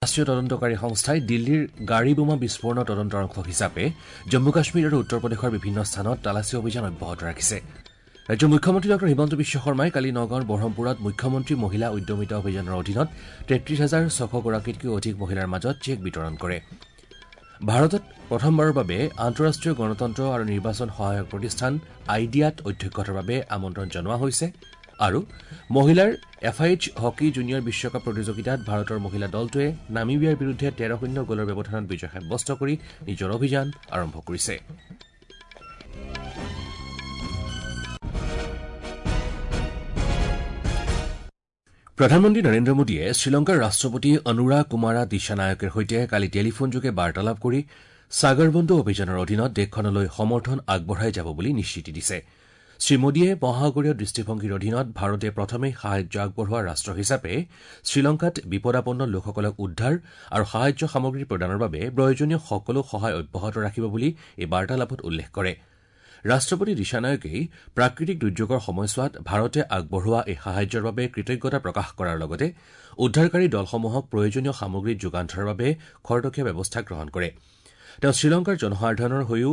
ৰাষ্ট্ৰীয় তদন্তকাৰী সংস্থাই দিল্লীৰ গাড়ী বোমা বিস্ফোৰণৰ তদন্তৰ অংশ হিচাপে জম্মু কাশ্মীৰ আৰু উত্তৰ প্ৰদেশৰ বিভিন্ন স্থানত তালাচী অভিযান অব্যাহত ৰাখিছে। ৰাজ্যৰ মুখ্যমন্ত্ৰী ডঃ হিমন্ত বিশ্ব শৰ্মাই কালি নগাঁৱৰ বঢ়মপুৰত মুখ্যমন্ত্ৰী মহিলা উদ্যমিতা অভিযানৰ অধীনত ৩৩,৬০০ গৰাকীতকৈ অধিক মহিলাৰ মাজত চেক বিতৰণ কৰে। ভাৰতত প্ৰথমবাৰৰ বাবে আন্তঃৰাষ্ট্ৰীয় গণতন্ত্ৰ আৰু নিৰ্বাচন সহায়ক প্ৰতিষ্ঠান আইডিয়াত অধ্যক্ষতাৰ বাবে আমন্ত্ৰণ জনোৱা হৈছে। আৰু মহিলাৰ এফআইএইচ হকী জুনিয়ৰ বিশ্বকাপ প্ৰতিযোগিতাত ভাৰতৰ মহিলা দলটোৱে নামিবিয়াৰ বিৰুদ্ধে ১৩-০ গ'লৰ ব্যৱধানত বিজয় সাব্যস্ত কৰি নিজৰ অভিযান আৰম্ভ কৰিছে। প্ৰধানমন্ত্ৰী নৰেন্দ্ৰ মোদীয়ে শ্ৰীলংকাৰ ৰাষ্ট্ৰপতি অনুৰা কুমাৰা দিশানায়কেৰ সৈতে কালি টেলিফোনযোগে বাৰ্তালাপ কৰি সাগৰ বন্ধু অভিযানৰ অধীনত দেশখনলৈ সমৰ্থন আগবঢ়াই যাব বুলি নিশ্চিতি দিছে। শ্ৰীমোদীয়ে মহাসাগৰীয় দৃষ্টিভংগীৰ অধীনত ভাৰতে প্ৰথমে সাহায্য আগবঢ়োৱা ৰাষ্ট্ৰ হিচাপে শ্ৰীলংকাত বিপদাপন্ন লোকসকলক উদ্ধাৰ আৰু সাহায্য সামগ্ৰী প্ৰদানৰ বাবে প্ৰয়োজনীয় সকলো সহায় অব্যাহত ৰাখিব বুলি এই বাৰ্তালাপত উল্লেখ কৰে। ৰাষ্ট্ৰপতি দিশানায়কেই প্ৰাকৃতিক দুৰ্যোগৰ সময়ছোৱাত ভাৰতে আগবঢ়োৱা এই সাহায্যৰ বাবে কৃতজ্ঞতা প্ৰকাশ কৰাৰ লগতে উদ্ধাৰকাৰী দলসমূহক প্ৰয়োজনীয় সামগ্ৰী যোগান ধৰাৰ বাবে খৰতকীয়া ব্যৱস্থা গ্ৰহণ কৰে। তেওঁ শ্ৰীলংকাৰ জনসাধাৰণৰ হৈও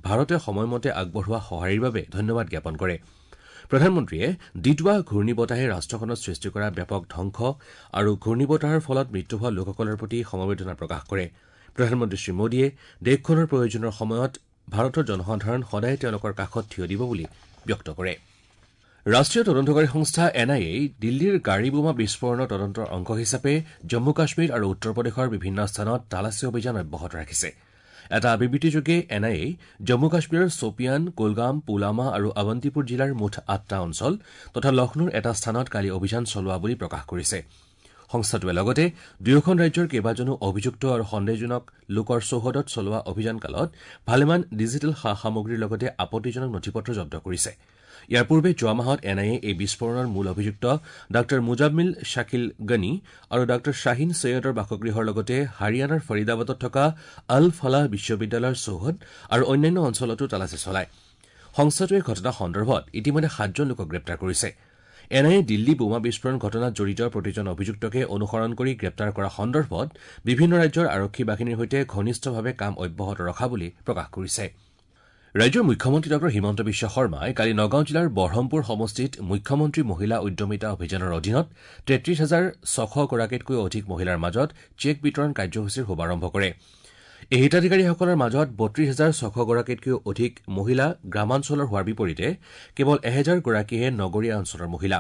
ভাৰতে সময়মতে আগবঢ়োৱা সঁহাৰিৰ বাবে ধন্যবাদ জ্ঞাপন কৰে। প্ৰধানমন্ত্ৰীয়ে ডিটৱা ঘূৰ্ণীবতাহে ৰাষ্ট্ৰখনত সৃষ্টি কৰা ব্যাপক ধ্বংস আৰু ঘূৰ্ণীবতাহৰ ফলত মৃত্যু হোৱা লোকসকলৰ প্ৰতি সমবেদনা প্ৰকাশ কৰে। প্ৰধানমন্ত্ৰী শ্ৰীমোদীয়ে দেশখনৰ প্ৰয়োজনৰ সময়ত ভাৰতৰ জনসাধাৰণ সদায় তেওঁলোকৰ কাষত থিয় দিব বুলি ব্যক্ত কৰে। ৰাষ্ট্ৰীয় তদন্তকাৰী সংস্থা এন আই এই দিল্লীৰ গাড়ী বোমা বিস্ফোৰণৰ তদন্তৰ অংশ হিচাপে জম্মু কাশ্মীৰ আৰু উত্তৰ প্ৰদেশৰ বিভিন্ন স্থানত তালাচী অভিযান অব্যাহত ৰাখিছে। এটা বিবৃতিযোগে এন আই এই জম্মু কাশ্মীৰৰ ছোপিয়ান, কুলগাম, পুলৱামা আৰু অৱন্তিপুৰ জিলাৰ মুঠ ৮টা অঞ্চল তথা লক্ষ্ণৌৰ এটা স্থানত কালি অভিযান চলোৱা বুলি প্ৰকাশ কৰিছে। সংস্থাটোৱে লগতে দুয়োখন ৰাজ্যৰ কেইবাজনো অভিযুক্ত আৰু সন্দেহজনক লোকৰ চৌহদত চলোৱা অভিযানকালত ভালেমান ডিজিটেল সা সামগ্ৰীৰ লগতে আপত্তিজনক নথিপত্ৰ জব্দ কৰিছে। ইয়াৰ পূৰ্বে যোৱা মাহত এন আই এ এই বিস্ফোৰণৰ মূল অভিযুক্ত ডাঃ মুজাম্মিল শাকিল গনি আৰু ডাঃ শ্বাহিন চৈয়দৰ বাসগৃহৰ লগতে হাৰিয়ানাৰ ফৰিদাবাদত থকা আল ফালাহ বিশ্ববিদ্যালয়ৰ চৌহদ আৰু অন্যান্য অঞ্চলতো তালাচী চলায়। সংস্থাটোৱে ঘটনা সন্দৰ্ভত ইতিমধ্যে ৭জন লোকক গ্ৰেপ্তাৰ কৰিছে। এন আই এ দিল্লী বোমা বিস্ফোৰণ ঘটনাত জড়িত প্ৰতিজন অভিযুক্তকে অনুসৰণ কৰি গ্ৰেপ্তাৰ কৰা সন্দৰ্ভত বিভিন্ন ৰাজ্যৰ আৰক্ষী বাহিনীৰ সৈতে ঘনিষ্ঠভাৱে কাম অব্যাহত ৰখা বুলি প্ৰকাশ কৰিছে। ৰাজ্যৰ মুখ্যমন্ত্ৰী ডঃ হিমন্ত বিশ্ব শৰ্মাই কালি নগাঁও জিলাৰ বঢ়মপুৰ সমষ্টিত মুখ্যমন্ত্ৰী মহিলা উদ্যমিতা অভিযানৰ অধীনত ৩৩,৬০০ গৰাকীতকৈ অধিক মহিলাৰ মাজত চেক বিতৰণ কাৰ্যসূচীৰ শুভাৰম্ভ কৰে। এই হিতাধিকাৰীসকলৰ মাজত ৩২,৬০০ গৰাকীতকৈ অধিক মহিলা গ্ৰামাঞ্চলৰ হোৱাৰ বিপৰীতে কেৱল ১,০০০ গৰাকীহে নগৰীয়া অঞ্চলৰ মহিলা।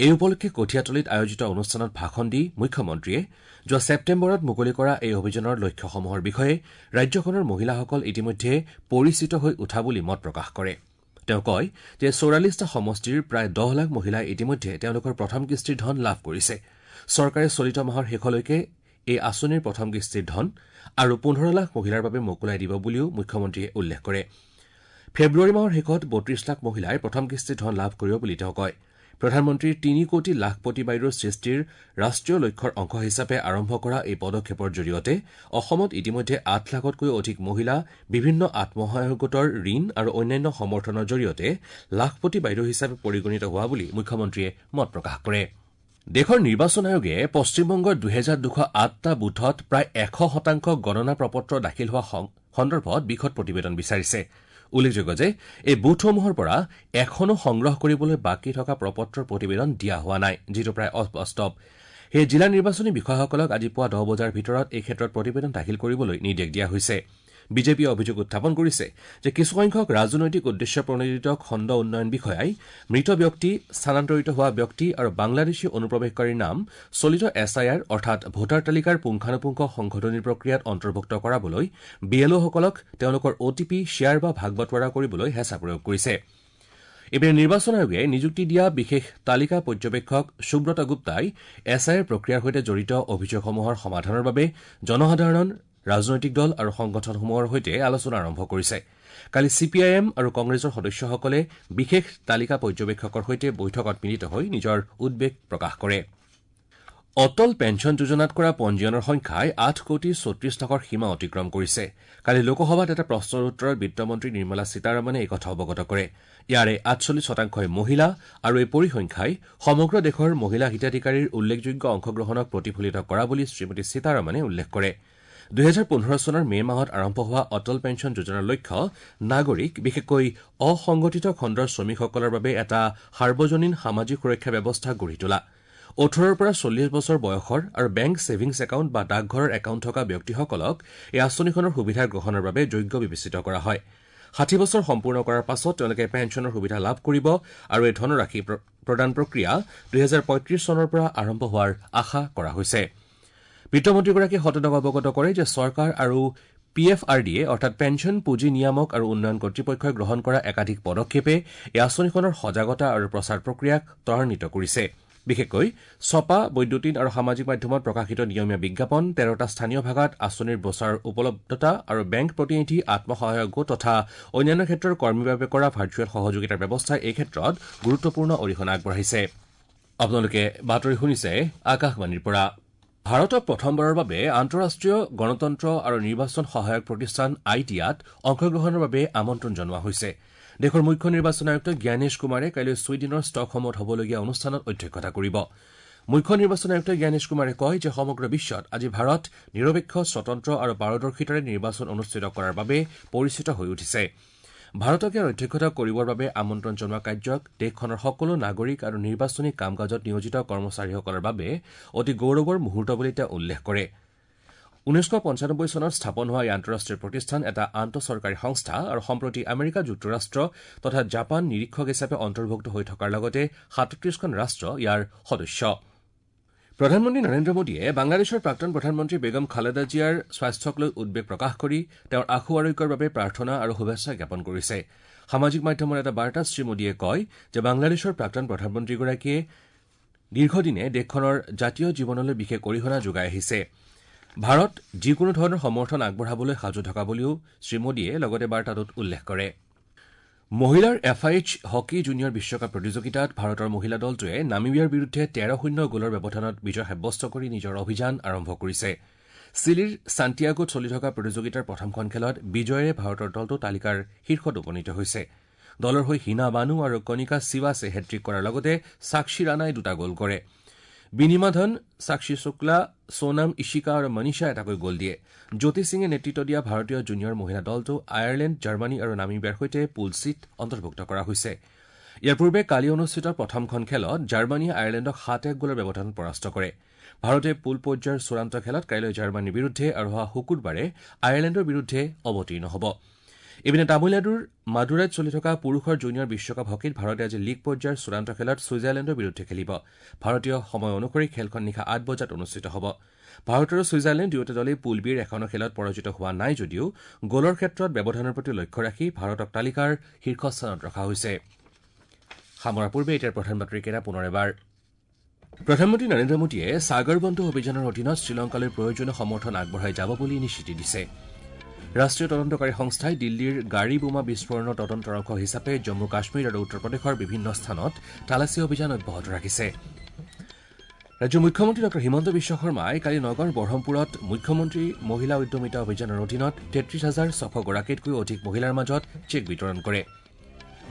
এই উপলক্ষে কঠীয়াতলিত আয়োজিত অনুষ্ঠানত ভাষণ দি মুখ্যমন্ত্ৰীয়ে যোৱা ছেপ্টেম্বৰত মুকলি কৰা এই অভিযানৰ লক্ষ্যসমূহৰ বিষয়ে ৰাজ্যখনৰ মহিলাসকল ইতিমধ্যে পৰিচিত হৈ উঠা বুলি মত প্ৰকাশ কৰে। তেওঁ কয় যে ৪৪টা সমষ্টিৰ প্ৰায় ১০ লাখ মহিলাই ইতিমধ্যে তেওঁলোকৰ প্ৰথম কিস্তিৰ ধন লাভ কৰিছে। চৰকাৰে চলিত মাহৰ শেষলৈকে এই আঁচনিৰ প্ৰথম কিস্তিৰ ধন আৰু ১৫ লাখ মহিলাৰ বাবে মোকলাই দিব বুলিও মুখ্যমন্ত্ৰীয়ে উল্লেখ কৰে। ফেব্ৰুৱাৰী মাহৰ শেষত ৩২ লাখ মহিলাই প্ৰথম কিস্তিৰ ধন লাভ কৰিব বুলি তেওঁ কয়। প্ৰধানমন্ত্ৰীৰ ৩ কোটি লাখপতি বাইদেউৰ সৃষ্টিৰ ৰাষ্ট্ৰীয় লক্ষ্যৰ অংশ হিচাপে আৰম্ভ কৰা এই পদক্ষেপৰ জৰিয়তে অসমত ইতিমধ্যে ৮ লাখতকৈ অধিক মহিলা বিভিন্ন আত্মসহায়ক গোটৰ ঋণ আৰু অন্যান্য সমৰ্থনৰ জৰিয়তে লাখপতি বাইদেউ হিচাপে পৰিগণিত হোৱা বুলি মুখ্যমন্ত্ৰীয়ে মত প্ৰকাশ কৰে। দেশৰ নিৰ্বাচন আয়োগে পশ্চিমবংগৰ ২,২০৮টা বুথত প্ৰায় ১০০% গণনা প্ৰপত্ৰ দাখিল হোৱা সন্দৰ্ভত বিশদ প্ৰতিবেদন বিচাৰিছে। উল্লেখযোগ্য যে এই বুথসমূহৰ পৰা এখনো সংগ্ৰহ কৰিবলৈ বাকী থকা প্ৰপত্ৰৰ প্ৰতিবেদন দিয়া হোৱা নাই, যিটো প্ৰায় অবাস্তৱ। সেয়ে জিলা নিৰ্বাচনী বিষয়াসকলক আজি পুৱা ১০ বজাৰ ভিতৰত এই ক্ষেত্ৰত প্ৰতিবেদন দাখিল কৰিবলৈ নিৰ্দেশ দিয়া হৈছে। বিজেপিয়ে অভিযোগ উত্থাপন কৰিছে যে কিছুসংখ্যক ৰাজনৈতিক উদ্দেশ্য প্ৰণোদিত খণ্ড উন্নয়ন বিষয়াই মৃত ব্যক্তি, স্থানান্তৰিত হোৱা ব্যক্তি আৰু বাংলাদেশী অনুপ্ৰৱেশকাৰীৰ নাম চলিত এছ I R অৰ্থাৎ ভোটাৰ তালিকাৰ পুংখানুপুংখ সংশোধনী প্ৰক্ৰিয়াত অন্তৰ্ভুক্ত কৰাবলৈ বি এল অ'সকলক তেওঁলোকৰ অ' টি পি শ্বেয়াৰ বা ভাগ বাটোৱাৰা কৰিবলৈ হেঁচা প্ৰয়োগ কৰিছে। ইপিনে নিৰ্বাচন আয়োগে নিযুক্তি দিয়া বিশেষ তালিকা পৰ্যবেক্ষক সুব্ৰত গুপ্তাই এছ I R প্ৰক্ৰিয়াৰ সৈতে জড়িত অভিযোগসমূহৰ সমাধানৰ বাবে জনসাধাৰণ, ৰাজনৈতিক দল আৰু সংগঠনসমূহৰ সৈতে আলোচনা আৰম্ভ কৰিছে। কালি চি পি I am আৰু কংগ্ৰেছৰ সদস্যসকলে বিশেষ তালিকা পৰ্যবেক্ষকৰ সৈতে বৈঠকত মিলিত হৈ নিজৰ উদ্বেগ প্ৰকাশ কৰে। অটল পেঞ্চন যোজনাত কৰা পঞ্জীয়নৰ সংখ্যাই ৮ কোটি ৩৬ লাখৰ সীমা অতিক্ৰম কৰিছে। কালি লোকসভাত এটা প্ৰশ্নৰ উত্তৰত বিত্তমন্ত্ৰী নিৰ্মলা সীতাৰমণে এই কথা অৱগত কৰে। ইয়াৰে ৪৮ শতাংশই মহিলা আৰু এই পৰিসংখ্যাই সমগ্ৰ দেশৰ মহিলা হিতাধিকাৰীৰ উল্লেখযোগ্য অংশগ্ৰহণক প্ৰতিফলিত কৰা বুলি শ্ৰীমতী সীতাৰমণে উল্লেখ কৰে। ২০১৫ চনৰ মে মাহত আৰম্ভ হোৱা অটল পেঞ্চন যোজনাৰ লক্ষ্য নাগৰিক, বিশেষকৈ অসংগঠিত খণ্ডৰ শ্ৰমিকসকলৰ বাবে এটা সাৰ্বজনীন সামাজিক সুৰক্ষা ব্যৱস্থা গঢ়ি তোলা। ১৮ৰ পৰা ৪০ বছৰ বয়সৰ আৰু বেংক ছেভিংছ একাউণ্ট বা ডাকঘৰৰ একাউণ্ট থকা ব্যক্তিসকলক এই আঁচনিখনৰ সুবিধা গ্ৰহণৰ বাবে যোগ্য বিবেচিত কৰা হয়। ৬০ বছৰ সম্পূৰ্ণ কৰাৰ পাছত তেওঁলোকে পেঞ্চনৰ সুবিধা লাভ কৰিব আৰু এই ধনৰাশি প্ৰদান প্ৰক্ৰিয়া ২০৩৫ চনৰ পৰা আৰম্ভ হোৱাৰ আশা কৰা হৈছে। বিত্তমন্ত্ৰীগৰাকীয়ে সদনক অৱগত কৰে যে চৰকাৰ আৰু P F R D A, অৰ্থাৎ পেঞ্চন পুঁজি নিয়ামক আৰু উন্নয়ন কৰ্তৃপক্ষই গ্ৰহণ কৰা একাধিক পদক্ষেপে এই আঁচনিখনৰ সজাগতা আৰু প্ৰচাৰ প্ৰক্ৰিয়াক ত্বৰান্বিত কৰিছে। বিশেষকৈ ছপা, বৈদ্যুতিন আৰু সামাজিক মাধ্যমত প্ৰকাশিত নিয়মীয়া বিজ্ঞাপন, ১৩টা স্থানীয় ভাষাত আঁচনিৰ ব্ৰচাৰৰ উপলব্ধতা আৰু বেংক প্ৰতিনিধি, আত্মসহায়ক গোট তথা অন্যান্য ক্ষেত্ৰৰ কৰ্মীৰ বাবে কৰা ভাৰ্চুৱেল সহযোগিতাৰ ব্যৱস্থাই এই ক্ষেত্ৰত গুৰুত্বপূৰ্ণ অৰিহণা আগবঢ়াইছে। আপোনালোকে বাতৰি শুনিছে আকাশবাণীৰ পৰা। ভাৰতক প্ৰথমবাৰৰ বাবে আন্তঃৰাষ্ট্ৰীয় গণতন্ত্ৰ আৰু নিৰ্বাচন সহায়ক প্ৰতিষ্ঠান আইডিয়াত অংশগ্ৰহণৰ বাবে আমন্ত্ৰণ জনোৱা হৈছে। দেশৰ মুখ্য নিৰ্বাচন আয়ুক্ত জ্ঞানেশ কুমাৰে কাইলৈ ছুইডেনৰ ষ্টকহোমত হ'বলগীয়া অনুষ্ঠানত অধ্যক্ষতা কৰিব। মুখ্য নিৰ্বাচন আয়ুক্ত জ্ঞানেশ কুমাৰে কয় যে সমগ্ৰ বিশ্বত আজি ভাৰত নিৰপেক্ষ, স্বতন্ত্ৰ আৰু পাৰদৰ্শিতাৰে নিৰ্বাচন অনুষ্ঠিত কৰাৰ বাবে পৰিচিত হৈ উঠিছে। ভাৰতক ইয়াৰ অধ্যক্ষতা কৰিবৰ বাবে আমন্ত্ৰণ জনোৱা কাৰ্যক দেশখনৰ সকলো নাগৰিক আৰু নিৰ্বাচনী কাম কাজত নিয়োজিত কৰ্মচাৰীসকলৰ বাবে অতি গৌৰৱৰ মুহূৰ্ত বুলি তেওঁ উল্লেখ কৰে। ১৯৯৫ চনত স্থাপন হোৱা এই আন্তঃৰাষ্ট্ৰীয় প্ৰতিষ্ঠান এটা আন্তঃচৰকাৰী সংস্থা আৰু সম্প্ৰতি আমেৰিকা যুক্তৰাষ্ট্ৰ তথা জাপান নিৰীক্ষক হিচাপে অন্তৰ্ভুক্ত হৈ থকাৰ লগতে ৩৭খন ৰাষ্ট্ৰ ইয়াৰ সদস্য। প্ৰধানমন্ত্ৰী নৰেন্দ্ৰ মোদীয়ে বাংলাদেশৰ প্ৰাক্তন প্ৰধানমন্ত্ৰী বেগম খালেদা জিয়াৰ স্বাস্থ্যক লৈ উদ্বেগ প্ৰকাশ কৰি তেওঁৰ আশু আৰোগ্যৰ বাবে প্ৰাৰ্থনা আৰু শুভেচ্ছা জ্ঞাপন কৰিছে। সামাজিক মাধ্যমৰ এটা বাৰ্তাত শ্ৰীমোদীয়ে কয় যে বাংলাদেশৰ প্ৰাক্তন প্ৰধানমন্ত্ৰীগৰাকীয়ে দীৰ্ঘদিনে দেশখনৰ জাতীয় জীৱনলৈ বিশেষ অৰিহণা যোগাই আহিছে। ভাৰত যিকোনো ধৰণৰ সমৰ্থন আগবঢ়াবলৈ সাজু থকা বুলিও শ্ৰীমোদীয়ে লগতে বাৰ্তাটোত উল্লেখ কৰে। মহিলাৰ এফ আই এইচ হকী জুনিয়ৰ বিশ্বকাপ প্ৰতিযোগিতাত ভাৰতৰ মহিলা দলটোৱে নামিবিয়াৰ বিৰুদ্ধে ১৩-০ গ'লৰ ব্যৱধানত বিজয় সাব্যস্ত কৰি নিজৰ অভিযান আৰম্ভ কৰিছে। চিলিৰ ছাণ্টিয়াগোত চলি থকা প্ৰতিযোগিতাৰ প্ৰথমখন খেলত বিজয়েৰে ভাৰতৰ দলটো তালিকাৰ শীৰ্ষত উপনীত হৈছে। দলৰ হৈ হিনা বানু আৰু কণিকা চিৱাছে হেট্ৰিক কৰাৰ লগতে সাক্ষী ৰাণাই দুটা গ'ল কৰে। বিনিমাধন, সাক্ষী শুক্লা, সোনাম ইশিকা আৰু মনীষা এটাকৈ গ'ল দিয়ে। জ্যোতি সিঙে নেতৃত্ব দিয়া ভাৰতীয় জুনিয়ৰ মহিলা দলটো আয়াৰলেণ্ড, জাৰ্মানী আৰু নামিবিয়াৰ সৈতে পুল চিত অন্তৰ্ভুক্ত কৰা হৈছে। ইয়াৰ পূৰ্বে কালি অনুষ্ঠিত প্ৰথমখন খেলত জাৰ্মানীয়ে আয়াৰলেণ্ডক ৭-১ গ'লৰ ব্যৱধানত পৰাস্ত কৰে। ভাৰতে পুল পৰ্যায়ৰ চূড়ান্ত খেলত কাইলৈ জাৰ্মানীৰ বিৰুদ্ধে আৰু অহা শুকুৰবাৰে আয়াৰলেণ্ডৰ বিৰুদ্ধে অৱতীৰ্ণ হ'ব। ইপিনে তামিলনাডুৰ মাদুৰাইত চলি থকা পুৰুষৰ জুনিয়ৰ বিশ্বকাপ হকীত ভাৰতে আজি লীগ পৰ্যায়ৰ চূড়ান্ত খেলত ছুইজাৰলেণ্ডৰ বিৰুদ্ধে খেলিব। ভাৰতীয় সময় অনুসৰি খেলখন নিশা ৮ বজাত অনুষ্ঠিত হ'ব। ভাৰত আৰু ছুইজাৰলেণ্ড দুয়োটা দলেই পুল বিৰ এখনো খেলত পৰাজিত হোৱা নাই যদিও গ'লৰ ক্ষেত্ৰত ব্যৱধানৰ প্ৰতি লক্ষ্য ৰাখি ভাৰতক তালিকাৰ শীৰ্ষস্থানত ৰখা হৈছে। সামৰাৰ পূৰ্বে এতিয়াৰ প্ৰধান বাতৰিকেইটা পুনৰ এবাৰ। প্ৰধানমন্ত্ৰী নৰেন্দ্ৰ মোদীয়ে সাগৰ বন্ধু অভিযানৰ অধীনত শ্ৰীলংকালৈ প্ৰয়োজনীয় সমৰ্থন আগবঢ়াই যাব বুলি নিশ্চিতি দিছে। ৰাষ্ট্ৰীয় তদন্তকাৰী সংস্থাই দিল্লীৰ গাড়ী বোমা বিস্ফোৰণৰ তদন্তৰ অংশ হিচাপে জম্মু কাশ্মীৰ আৰু উত্তৰ প্ৰদেশৰ বিভিন্ন স্থানত তালাচী অভিযান অব্যাহত ৰাখিছে। ৰাজ্যৰ মুখ্যমন্ত্ৰী ডঃ হিমন্ত বিশ্ব শৰ্মাই কালি নগাঁৱৰ বঢ়মপুৰত মুখ্যমন্ত্ৰী মহিলা উদ্যমিতা অভিযানৰ অধীনত ৩৩ হাজাৰ ৬০০ গৰাকীতকৈও অধিক মহিলাৰ মাজত চেক বিতৰণ কৰে।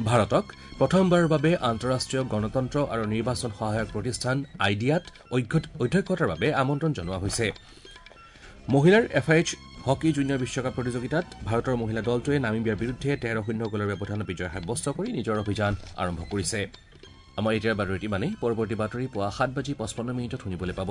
ভাৰতক প্ৰথমবাৰৰ বাবে আন্তঃৰাষ্ট্ৰীয় গণতন্ত্ৰ আৰু নিৰ্বাচন সহায়ক প্ৰতিষ্ঠান আইডিয়াত অধ্যক্ষতাৰ বাবে আমন্ত্ৰণ জনোৱা হৈছে। মহিলাৰ এফ আই এইচ হকী জুনিয়ৰ বিশ্বকাপ প্ৰতিযোগিতাত ভাৰতৰ মহিলা দলটোৱে নামিবিয়াৰ বিৰুদ্ধে ১৩-০ গ'লৰ ব্যৱধানত বিজয় সাব্যস্ত কৰি নিজৰ অভিযান আৰম্ভ কৰিছে। আমাৰ এতিয়াৰ বাতৰিত ইমানেই। পৰৱৰ্তী বাতৰি পুৱা ৭ বাজি ৫৫ মিনিটত শুনিবলৈ পাব।